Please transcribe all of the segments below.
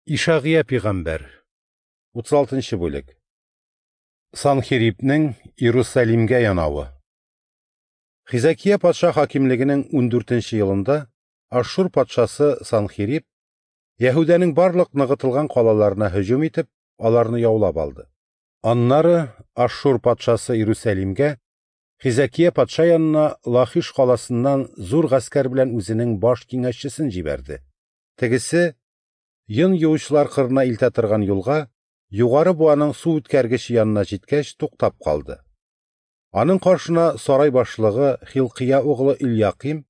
Ишагыя пигамбәр, 36 нчы бүлек. Санхирибнең Иерусалимгә янавы. Хизәкия патша хакимлегенең 14 нче елында Ашшур патшасы Санхириб Яһүдәнең барлык ныгытылган калаларына һөҗүм итеп, аларны яулап алды. Аннары Ашшур патшасы Иерусалимгә Хизәкия патша янына Лахиш каласыннан зур гаскәр белән үзенең баш киңәшчесен җибәрде. Тегесе йон юучылар кырына илтә торган юлга, Югары буаның су үткәргече янына җиткәч, туктап калды. Аның каршына сарай башлыгы Хилкия углы Ильяким,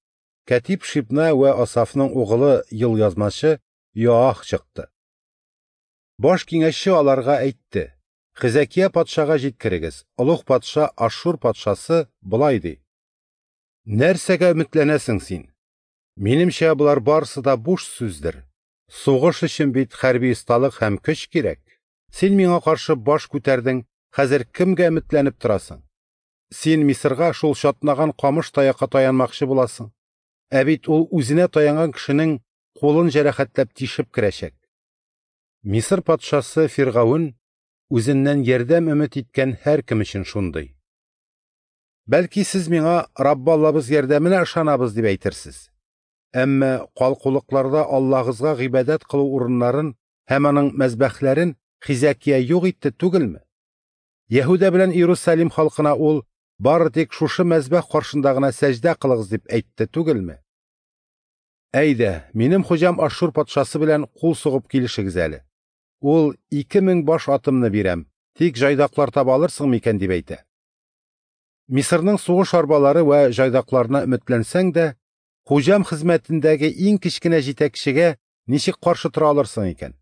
кәтиб Шибна вә Асафның угылы елъязмачы Йоах чыкты. Баш киңәшче аларга әйтте: Хизәкия патшага җиткерегез, олуг патша Ашшур патшасы болай ди: Нәрсәгә өметләнәсең син? Минемчә, болар барысы да буш сүздер. Сугыш өчен бит хәрби осталык һәм көч кирәк. Син миңа каршы баш күтәрдең, хәзер кемгә өметләнеп торасың? Син Мисырга шул чатнаган камыш таякка таянмакчы буласың. Ә бит ул үзенә таянган кешенең кулын җәрәхәтләп тишеп керәчәк. Мисыр патшасы Фиргавен үзеннән ярдәм өмет иткән һәркем өчен шундый. Бәлки сез миңа Раббы Аллабыз ярдәменә ышанабыз дип әйтерсез. Әмма калкулыкларда Аллаһыгызга гыйбадәт кылу урыннарын һәм аның мәзбәхләрен Хизәкия юк итте түгелме? Яһүдә белән Иерусалим халкына ул бары тик шушы мәзбәх каршында гына сәҗдә кылыгыз дип әйтте түгелме? Әйдә, минем хуҗам Ашшур патшасы белән кул сугып килешегез әле. Ул 2000 баш атымны бирәм, тик җайдаклар таба алырсың микән дип әйтә. Мисырның сугыш арбалары вә җайдакларына өметләнсәң дә, хуҗам хезмәтендәге иң кечкенә җитәкчегә ничек каршы тора алырсың икән?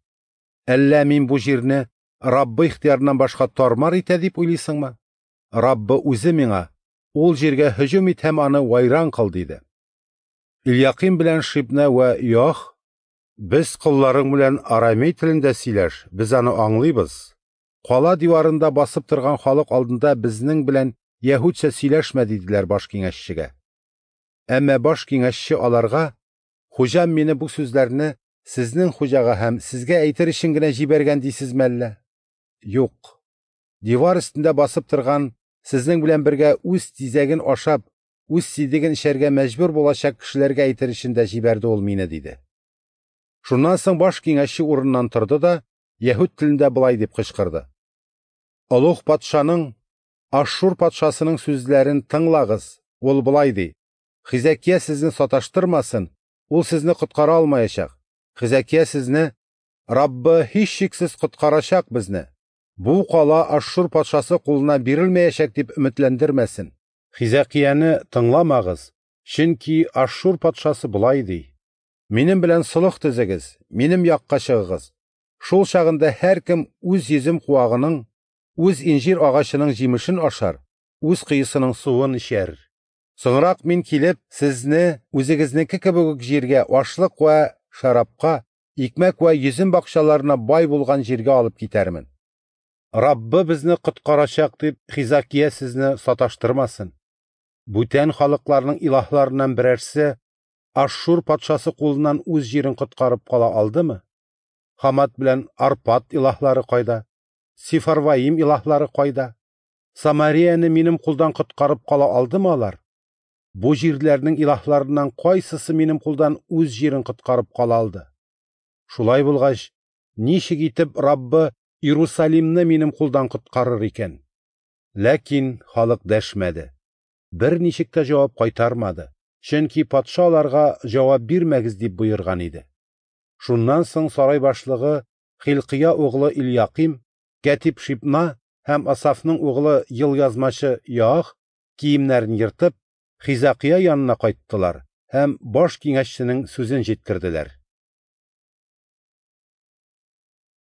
Әллә мин бу җирне Раббы ихтыярыннан башка тармар итә дип уйлыйсыңмы? Раббы үзе миңа, ул җиргә һөҗүм ит һәм аны вайран кыл, диде. Ильяким белән Шибна вә Йоах, без колларың белән арамей телендә сөйләш, без аны аңлыйбыз. Кала диварында басып торган халык алдында безнең белән яһүдчә сөйләшмә, диделәр баш киңәшчегә. Әмма баш киңәшче аларга: "Хуҗам мине бу сүзләрне сезнең хуҗага һәм сезгә әйтер өчен генә җибәргән дисезме әллә? Юк. Дивар өстендә басып торган, сезнең белән бергә үз тизәген ашап, үз сидеген эчәргә мәҗбүр булачак кешеләргә әйтер өчен дә җибәрде ул мине", диде. Шуннан соң баш киңәшче урыннан торды да яһүд телендә болай дип кычкырды: Олуг патшаның, Ашшур патшасының сүзләрен тыңлагыз. Ул болай ди: Хизәкия сезне саташтырмасын, ул сезне коткара алмаячак. Хизәкия сезне Раббы һичшиксез коткарачак безне. Бу кала Ашшур патшасы кулына бирелмәячәк дип өметләндермәсен. Хизәкияне тыңламагыз, чөнки Ашшур патшасы болай ди: Минем белән солых төзегез, минем якка чыгыгыз. Шул чагында һәркем үз йөзем куагының, үз инҗир агачының җимешен ашар, үз коесының суын эчәр. Соңрак мин килеп, сезне үзегезнеке кебек үк җиргә, ашлык вә шәрабка, икмәк вә йөзем бакчаларына бай булган җиргә алып китәрмен. Раббы безне коткарачак дип Хизакия сезне саташтырмасын. Бүтән халыкларның илаһларыннан берәрсе Ашшур патшасы кулыннан үз җирен коткарып кала алдымы? Хамат белән Арпад илаһлары кайда? Сифарваим илаһлары кайда? Самарияне минем кулдан коткарып кала алдымы алар? Бу җирләрнең илаһларыннан кайсысы минем кулдан үз җирен коткарып кала алды? Шулай булгач, ничек итеп Раббы Иерусалимны минем кулдан коткарыр икән? Ләкин халык дәшмәде. Берничек тә җавап кайтармады, чөнки патша аларга җавап бирмәгез дип боерган иде. Шуннан соң сарай башлыгы Хилкия углы Ильяким, кәтиб Шибна һәм Асафның углы елъязмачы Йоах киемнәрен ертып, Хизәкия янына кайттылар һәм баш киңәшченең сүзен җиткерделәр.